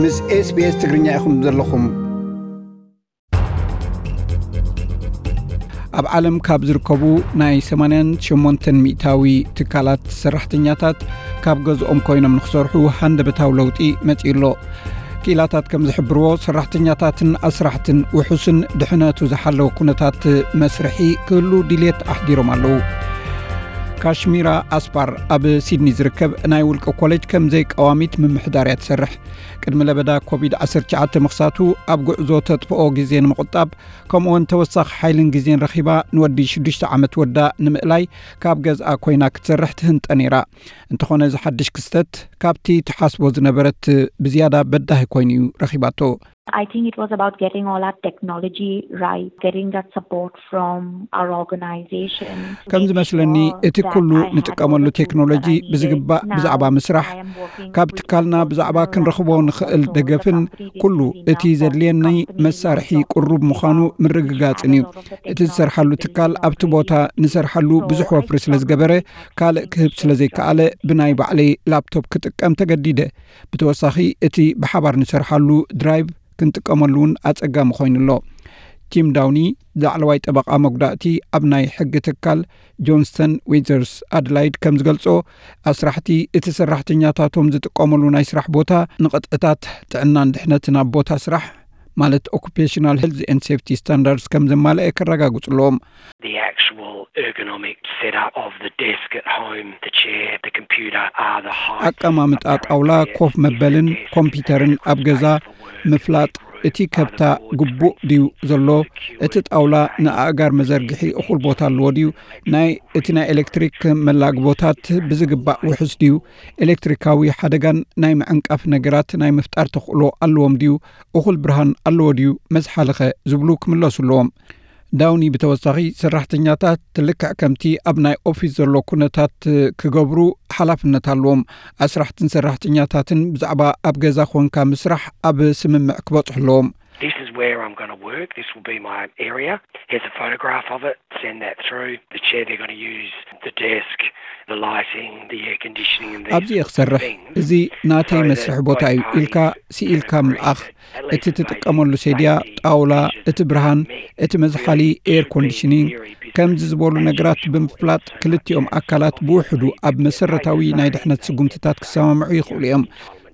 ምስ SBS ትግርኛ ኢኹም ዘለኹም። ኣብ ዓለም ካብ ዝርከቡ ናይ ሰማንያን ሸሞንተን ሚእታዊ ትካላት ሰራሕተኛታት ካብ ገዝኦም ኮይኖም ንክሰርሑ ሃንደበታዊ ለውጢ መጺኡ ኣሎ። ክኢላታት ከም ዝሕብርዎ፣ ሰራሕተኛታትን ኣስራሕትን ውሑስን ድሕነቱ ዝሓለወ ኩነታት መስርሒ ክህሉ ድልየት ኣሕዲሮም ኣለዉ። ካሽሚራ ኣስፓር ኣብ ሲድኒ ዝርከብ ናይ ውልቂ ኮሌጅ ከም ዘይቀዋሚት ምምሕዳር እያ ትሰርሕ። ቅድሚ ለበዳ ኮቪድ ዓሰርተ ትሽዓተ ምኽሳቱ ኣብ ጉዕዞ ተጥፍኦ ግዜ ንምቑጣብ፣ ከምኡውን ተወሳኺ ሓይልን ግዜን ረኺባ ንወዲ ሽዱሽተ ዓመት ወዳ ንምእላይ ካብ ገዝኣ ኮይና ክትሰርሕ ትህንጠ ነይራ። እንተኾነ፣ እዚ ሓድሽ ክስተት ካብቲ ትሓስቦ ዝነበረት ብዝያዳ በዳሂ ኮይኑ እዩ ረኺባቶ። I think it was about getting all our technology right, getting that support from our organization. ከም ዝመስለኒ፣ እቲ ኩሉ ንጥቀመሉ ቴክኖሎጂ ብዝግባእ ብዛዕባ ምስራሕ፣ ካብ ትካልና ብዛዕባ ክንረኽቦ ንኽእል ደገፍን ኩሉ እቲ ዘድልየኒ መሳርሒ ቅሩብ ምዃኑ ምርግጋጽን እዩ። እቲ ዝሰርሓሉ ትካል ኣብቲ ቦታ ንሰርሓሉ ብዙሕ ወፍሪ ስለ ዝገበረ፣ ካልእ ክህብ ስለ ዘይከኣለ፣ ብናይ ባዕለይ ላፕቶፕ ክጥቀም ተገዲደ። ብተወሳኺ፣ እቲ ብሓባር ንሰርሓሉ ድራይቭ ክንጥቀመሉ እውን ኣጸጋሚ ኮይኑ ኣሎ። ቲም ዳውኒ ላዕለዋይ ጠበቓ መጉዳእቲ ኣብ ናይ ሕጊ ትካል ጆንስተን ዊዘርስ ኣድላይድ ከም ዝገልጾ፣ ኣስራሕቲ እቲ ሰራሕተኛታቶም ዝጥቀመሉ ናይ ስራሕ ቦታ ንቕጥዕታት ጥዕናን ድሕነትን ኣብ ቦታ ስራሕ፣ ማለት ኦኩፔሽናል ሄልዝ ኤንድ ሴፍቲ ስታንዳርድስ፣ ከም ዘማልአ ከረጋግጹ ኣለዎም። The actual ergonomic setup of the desk at home, the chair, the computer are the high. ኣቀማምጣ ጣውላ፣ ኮፍ መበልን ኮምፒውተርን ኣብ ገዛ ምፍላጥ፣ እቲ ከብታ ግቡእ ድዩ ዘሎ፣ እቲ ጣውላ ንኣእጋር መዘርግሒ እኹል ቦታ ኣለዎ ድዩ፣ ናይ እቲ ናይ ኤሌክትሪክ መላግቦታት ብዝግባእ ውሑስ ድዩ፣ ኤሌክትሪካዊ ሓደጋን ናይ ምዕንቃፍ ነገራት ናይ ምፍጣር ተኽእሎ ኣለዎም ድዩ፣ እኹል ብርሃን ኣለዎ ድዩ፣ መዝሓልኸ ዝብሉ ክምለሱ ኣለዎም። ዳውኒ ብተወሳኺ፣ ሰራሕተኛታት ልክዕ ከምቲ ኣብ ናይ ኦፊስ ዘሎ ኩነታት ክገብሩ ሓላፍነት ኣለዎም። ኣስራሕትን ሰራሕተኛታትን ብዛዕባ ኣብ ገዛ ኮንካ ምስራሕ ኣብ ስምምዕ ክበጽሑ ኣለዎም። This is where I'm going to work. This will be my area. Here's a photograph of it. Send that through. The chair they're going to use, the desk, the lighting, the air conditioning, and these ኣብዚ እየ ክሰርሕ፣ things. እዚ ናተይ መስርሒ ቦታ እዩ ኢልካ ስኢልካ ምልኣኽ። እቲ ትጥቀመሉ ሴድያ፣ ጣውላ፣ እቲ ብርሃን፣ እቲ መዝሓሊ ኤር ኮንዲሽኒንግ፣ ከምዚ ዝበሉ ነገራት ብምፍላጥ፣ ክልቲኦም ኣካላት ብውሕዱ ኣብ መሰረታዊ ናይ ድሕነት ስጉምትታት ክሰማምዑ ይኽእሉ እዮም።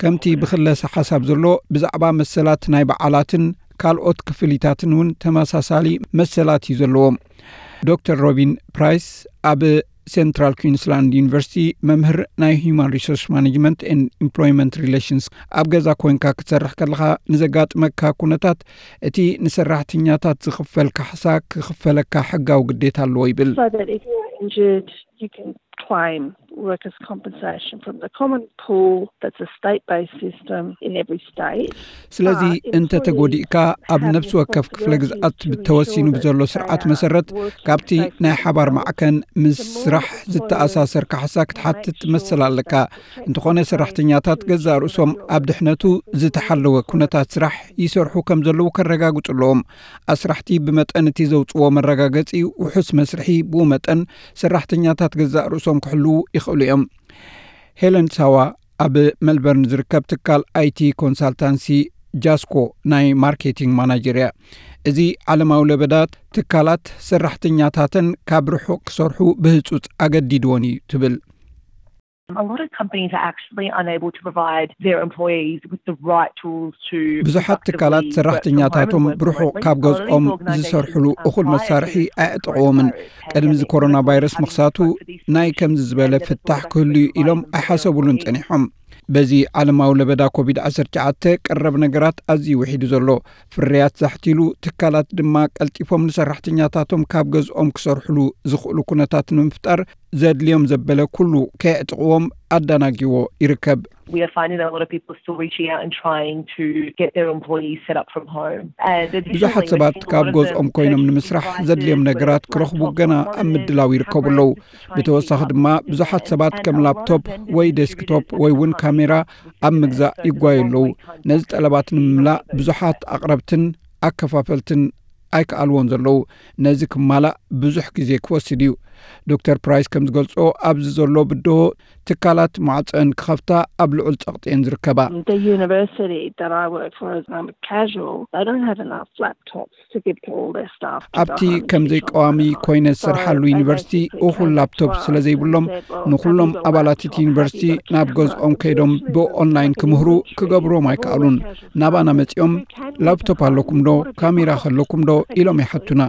ከምቲ ብክለሰ ሓሳብ ዘሎ፣ ብዛዕባ መሰላት ናይ በዓላትን ካልኦት ክፍሊታትን እውን ተመሳሳሊ መሰላት እዩ ዘለዎም። ዶክተር ሮቢን ፕራይስ ኣብ ሴንትራል ኩዊንስላንድ ዩኒቨርሲቲ መምህር ናይ ሂዩማን ሪሶርስ ማኔጅመንት ኤንድ ኢምፕሎይመንት ሪሌሽንስ፣ ኣብ ገዛ ኮይንካ ክትሰርሕ ከለኻ ንዘጋጥመካ ኩነታት፣ እቲ ንሰራሕተኛታት ዝኽፈል ካሕሳ ክኽፈለካ ሕጋዊ ግዴታ ኣለዎ ይብል። So that if you're injured, you can claim workers' compensation from the common pool. That's a state-based system in every state. ስለዚ እንተ ተጎዲእካ፣ ኣብ ነፍሲ ወከፍ ክፍለ ግዝኣት ብተወሲኑ ብዘሎ ስርዓት መሰረት፣ ካብቲ ናይ ሓባር ማዕከን ምስ ስራሕ ዝተኣሳሰር ካሕሳ ክትሓትት መሰል ኣለካ። እንተኾነ፣ ሰራሕተኛታት ገዛእ ርእሶም ኣብ ድሕነቱ ዝተሓለወ ኩነታት ስራሕ ይሰርሑ ከም ዘለዉ ከረጋግጹ ኣለዎም። ኣስራሕቲ ብመጠን እቲ ዘውጽዎ መረጋገጺ ውሑስ መስርሒ፣ ብኡ መጠን ሰራሕተኛታት ገዛእ ርእሶም ክሕልዉ ይኽእሉ እዮም። ሄለን ሳዋ ኣብ መልበርን ዝርከብ ትካል ኣይቲ ኮንሳልታንሲ ጃስኮ ናይ ማርኬቲንግ ማናጀር እያ። እዚ ዓለማዊ ለበዳ፣ ትካላት ሰራሕተኛታተን ካብ ርሑቕ ክሰርሑ ብህጹጽ ኣገዲድወን እዩ ትብል። A lot of companies are actually unable to provide their employees with the right tools to ብዙሓት ትካላት ሰራሕተኛታቶም ብርሑቕ ካብ ገዝኦም ዝሰርሕሉ እኹል መሳርሒ ኣየዕጥቕዎምን። ቅድሚ እዚ ኮሮና ቫይረስ ምኽሳቱ፣ ናይ ከምዚ ዝበለ ፍታሕ ክህሉ እዩ ኢሎም ኣይሓሰቡሉን ጸኒሖም። በዚ ዓለማዊ ለበዳ ኮቪድ ዓሰርተ ትሽዓተ ቀረብ ነገራት ኣዝዩ ውሒዱ ዘሎ፣ ፍርያት ዛሕቲሉ፣ ትካላት ድማ ቀልጢፎም ንሰራሕተኛታቶም ካብ ገዝኦም ክሰርሕሉ ዝኽእሉ ኩነታት ንምፍጣር ዘድልዮም ዘበለ ኩሉ ከየዕጥቕዎም ኣዳናጊዎ ይርከብ። We are finding that a lot of people are still reaching out and trying to get their employees set up from home. ብዙሓት ሰባት ካብ ገዝኦም ኮይኖም ንምስራሕ ዘድልዮም ነገራት ክረኽቡ ገና ኣብ ምድላው ይርከቡ ኣለዉ። ብተወሳኺ ድማ ብዙሓት ሰባት ከም ላፕቶፕ ወይ ዴስክቶፕ ወይ እውን ካሜራ ኣብ ምግዛእ ይጓዩ ኣለዉ። ነዚ ጠለባት ንምምላእ ብዙሓት ኣቕረብትን ኣከፋፈልትን ኣይከኣልዎን ዘለዉ። ነዚ ክማላእ ብዙሕ ግዜ ክወስድ እዩ። ዶክተር ፕራይስ ከም ዝገልጾ፣ ኣብዚ ዘሎ ብድሆ ትካላት ማዕጸን ክኸፍታ ኣብ ልዑል ጸቕጢ እየን ዝርከባ። The university that I work for is um, casual. They don't have enough laptops to give to all their staff. ኣብቲ ከም ዘይቀዋሚ ኮይነ ዝሰርሓሉ ዩኒቨርሲቲ እኹል ላፕቶፕ ስለ ዘይብሎም፣ ንኹሎም ኣባላት እቲ ዩኒቨርሲቲ ናብ ገዝኦም ከይዶም ብኦንላይን ክምህሩ ክገብርዎም ኣይከኣሉን። ናባና መጺኦም፣ ላፕቶፕ ኣለኩም ዶ፣ ካሜራ ከለኩም ዶ ኢሎም ይሓቱና።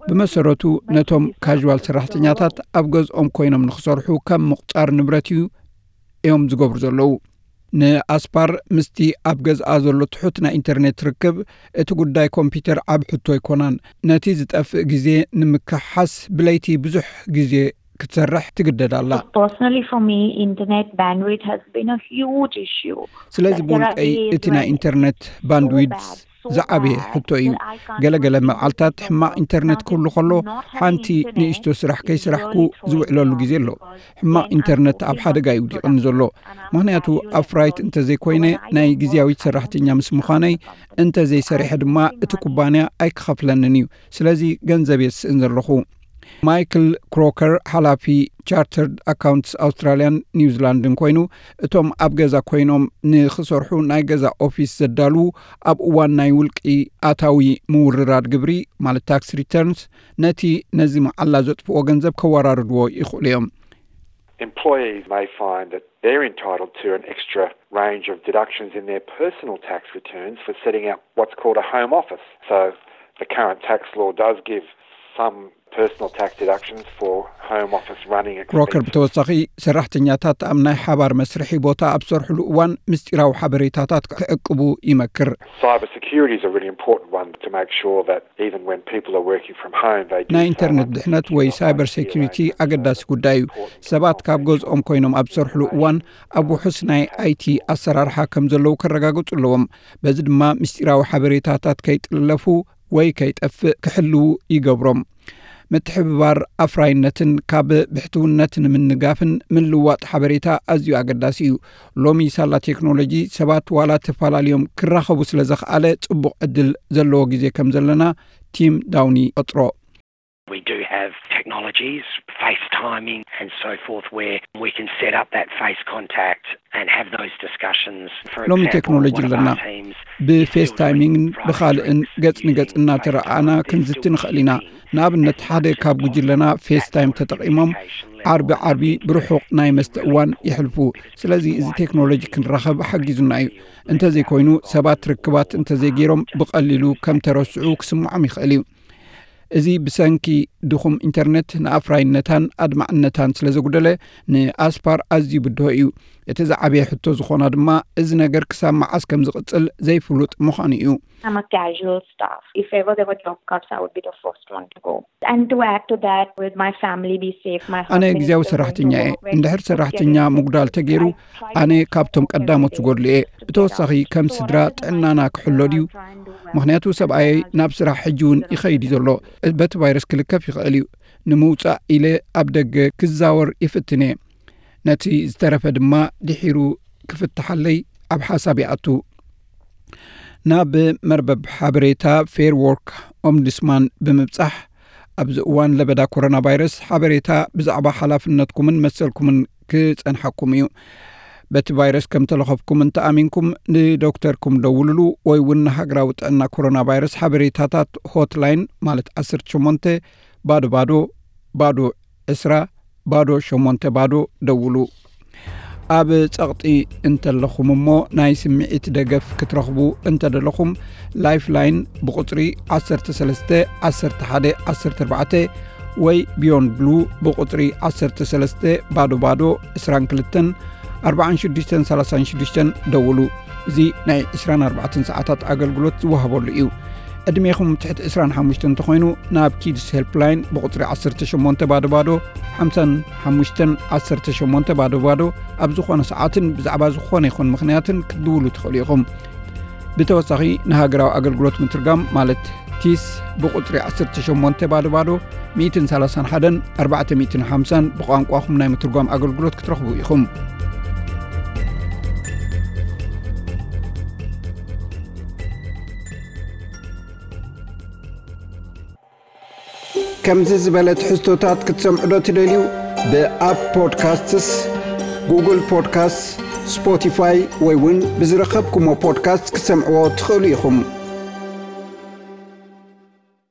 ብመሰረቱ ነቶም ካዥዋል ሰራሕተኛታት ኣብ ገዝኦም ኮይኖም ንኽሰርሑ ከም ምቑጻር ንብረት እዩ እዮም ዝገብሩ ዘለዉ። ንኣስፓር ምስቲ ኣብ ገዝኣ ዘሎ ትሑት ናይ ኢንተርኔት ርክብ፣ እቲ ጉዳይ ኮምፒውተር ዓብ ሕቶ ኣይኮናን። ነቲ ዝጠፍእ ግዜ ንምክሓስ ብለይቲ ብዙሕ ግዜ ክትሰርሕ ትግደድ ኣላ። Personally, for me, internet bandwidth has been a huge issue. ስለዚ ብውልቀይ እቲ ናይ ኢንተርኔት ባንድዊድስ ዝዓበየ ሕቶ እዩ። ገለገለ መዓልታት ሕማቕ ኢንተርኔት ክህሉ ከሎ፣ ሓንቲ ንእሽቶ ስራሕ ከይስራሕኩ ዝውዕለሉ ግዜ ኣሎ። ሕማቕ ኢንተርኔት ኣብ ሓደጋ እዩ ውዲቕኒ ዘሎ። ምኽንያቱ ኣፍራይት እንተዘይኮይነ፣ ናይ ግዜያዊት ሰራሕተኛ ምስ ምዃነይ፣ እንተዘይሰሪሐ ድማ እቲ ኩባንያ ኣይክኸፍለንን እዩ። ስለዚ ገንዘብ የስእን ዘለኹ። ማይክል ክሮከር፣ ሓላፊ ቻርተርድ ኣካውንትስ ኣውስትራልያን ኒውዚላንድን ኮይኑ፣ እቶም ኣብ ገዛ ኮይኖም ንኽሰርሑ ናይ ገዛ ኦፊስ ዘዳልዉ፣ ኣብ እዋን ናይ ውልቂ ኣታዊ ምውርራድ ግብሪ፣ ማለት ታክስ ሪተርንስ፣ ነቲ ነዚ መዓላ ዘጥፍኦ ገንዘብ ከወራርድዎ ይኽእሉ እዮም። Employees may find that they're entitled to an extra range of deductions in their personal tax returns for setting up what's called a home office. So the current tax law does give some personal tax deductions for home office running ክሮከር expenses. ብተወሳኺ፣ ሰራሕተኛታት ኣብ ናይ ሓባር መስርሒ ቦታ ኣብ ዝሰርሕሉ እዋን ምስጢራዊ ሓበሬታታት ክዕቅቡ ይመክር። Cyber security is a really important one to make sure that even when people are working from home, they do ናይ so ኢንተርኔት under ድሕነት ወይ secure ሳይበር I T ሴኩሪቲ arrangements. ኣገዳሲ ጉዳይ እዩ። ሰባት ካብ ገዝኦም ኮይኖም ኣብ ዝሰርሕሉ እዋን ኣብ ውሑስ ናይ ኣይቲ ኣሰራርሓ ከም ዘለዉ ከረጋግጹ ኣለዎም። በዚ ድማ ምስጢራዊ ሓበሬታታት ከይጥለፉ ወይ ከይጠፍእ ክሕልዉ ይገብሮም። ምትሕብባር ኣፍራይነትን ካብ ብሕትውነት ንምንጋፍን ምልዋጥ ሓበሬታ ኣዝዩ ኣገዳሲ እዩ። ሎሚ ሳላ ቴክኖሎጂ ሰባት ዋላ ተፈላለዮም ክራኸቡ ስለ ዘኽኣለ፣ ጽቡቕ ዕድል ዘለዎ ግዜ ከም ዘለና ቲም ዳውኒ ይቐጽሮ። We do have technologies, FaceTiming and so forth, where we can set up that face contact and have those discussions. For ሎሚ example, ቴክኖሎጂ one of ኣለና። our teams ብፌስታይሚንግን ብኻልእን ገጽ ንገጽ እናተረኣኣና ክንዝቲ ንኽእል ኢና። ንኣብነት፣ ሓደ ካብ ጉጅለና ፌስታይም ተጠቒሞም ዓርቢ ዓርቢ ብርሑቕ ናይ መስተ እዋን የሕልፉ። ስለዚ እዚ ቴክኖሎጂ ክንራኸብ ሓጊዙና እዩ። እንተዘይኮይኑ፣ ሰባት ርክባት እንተዘይገይሮም ብቐሊሉ ከም ተረስዑ ክስምዖም ይኽእል እዩ። እዚ ብሰንኪ ድኹም ኢንተርኔት ንኣፍራይነታን ኣድማዕነታን ስለ ዘጉደለ፣ ንኣስፓር ኣዝዩ ብድሆ እዩ። እቲ ዝዓበየ ሕቶ ዝኾና ድማ፣ እዚ ነገር ክሳብ መዓስ ከም ዝቕጽል ዘይፍሉጥ ምዃኑ እዩ። I'm a casual staff. If ever there were job cuts, I would be the first one to go. And to add to that, with my family be safe, my ኣነ ግዜያዊ ሰራሕተኛ እየ። እንድሕር ሰራሕተኛ ምጉዳል ተገይሩ፣ ኣነ ካብቶም ቀዳሞት ዝጎድሉ እየ። ብተወሳኺ፣ ከም ስድራ ጥዕናና ክሕሎ ድዩ? ምኽንያቱ ሰብኣየይ ናብ ስራሕ ሕጂ እውን ይኸይድ እዩ ዘሎ። በቲ ቫይረስ ክልከፍ ይኽእል እዩ። ንምውጻእ ኢለ ኣብ ደገ ክዛወር ይፍትን እየ። ነቲ ዝተረፈ ድማ ድሒሩ ክፍትሓለይ ኣብ ሓሳብ ይኣቱ። ናብ መርበብ ሓበሬታ ፌር ዎርክ ኦምቡድስማን ብምብጻሕ፣ ኣብዚ እዋን ለበዳ ኮሮና ቫይረስ ሓበሬታ ብዛዕባ ሓላፍነትኩምን መሰልኩምን ክጸንሓኩም እዩ። በቲ ቫይረስ ከም ተለኸፍኩም እንተኣሚንኩም፣ ንዶክተርኩም ደውልሉ ወይ እውን ንሃገራዊ ጥዕና ኮሮና ቫይረስ ሓበሬታታት ሆትላይን፣ ማለት ዓሰርተ ሸሞንተ ባዶ ባዶ ባዶ ዕስራ ባዶ ሸሞንተ ባዶ ደውሉ። ኣብ ጸቕጢ እንተለኹም እሞ ናይ ስምዒት ደገፍ ክትረኽቡ እንተደለኹም፣ ላይፍላይን ብቁጽሪ ዓሰርተ ሰለስተ ዓሰርተ ሓደ ዓሰርተ ኣርባዕተ ወይ ቢዮንድ ብሉ ብቁጽሪ ዓሰርተ ሰለስተ ባዶ ባዶ ዕስራን ክልተን ኣርባዓን ሽዱሽተን ሰላሳን ሽዱሽተን ደውሉ። እዚ ናይ ዕስራን ኣርባዕተን ሰዓታት ኣገልግሎት ዝወሃበሉ እዩ። ዕድሜኹም ትሕቲ ዕስራን ሓሙሽተን እንተኾይኑ፣ ናብ ኪድስ ሄልፕላይን ብቁጽሪ ዓሰርተ ሸሞንተ ባዶ ባዶ ሓምሳን ሓሙሽተን ዓሰርተ ሸሞንተ ባዶ ባዶ ኣብ ዝኾነ ሰዓትን ብዛዕባ ዝኾነ ይኹን ምኽንያትን ክትድውሉ ትኽእሉ ኢኹም። ብተወሳኺ፣ ንሃገራዊ ኣገልግሎት ምትርጋም፣ ማለት ቲስ፣ ብቁጽሪ ዓሰርተ ሸሞንተ ባዶ ባዶ ሚእትን ሰላሳን ሓደን ኣርባዕተ ሚእትን ሓምሳን ብቋንቋኹም ናይ ምትርጓም ኣገልግሎት ክትረኽቡ ኢኹም። ከምዚ ዝበለ ትሕዝቶታት ክትሰምዑ ዶ ትደልዩ? ብኣፕ ፖድካስትስ፣ ጉግል ፖድካስትስ፣ ስፖቲፋይ ወይ እውን ብዝረኸብኩሞ ፖድካስት ክትሰምዕዎ ትኽእሉ ኢኹም።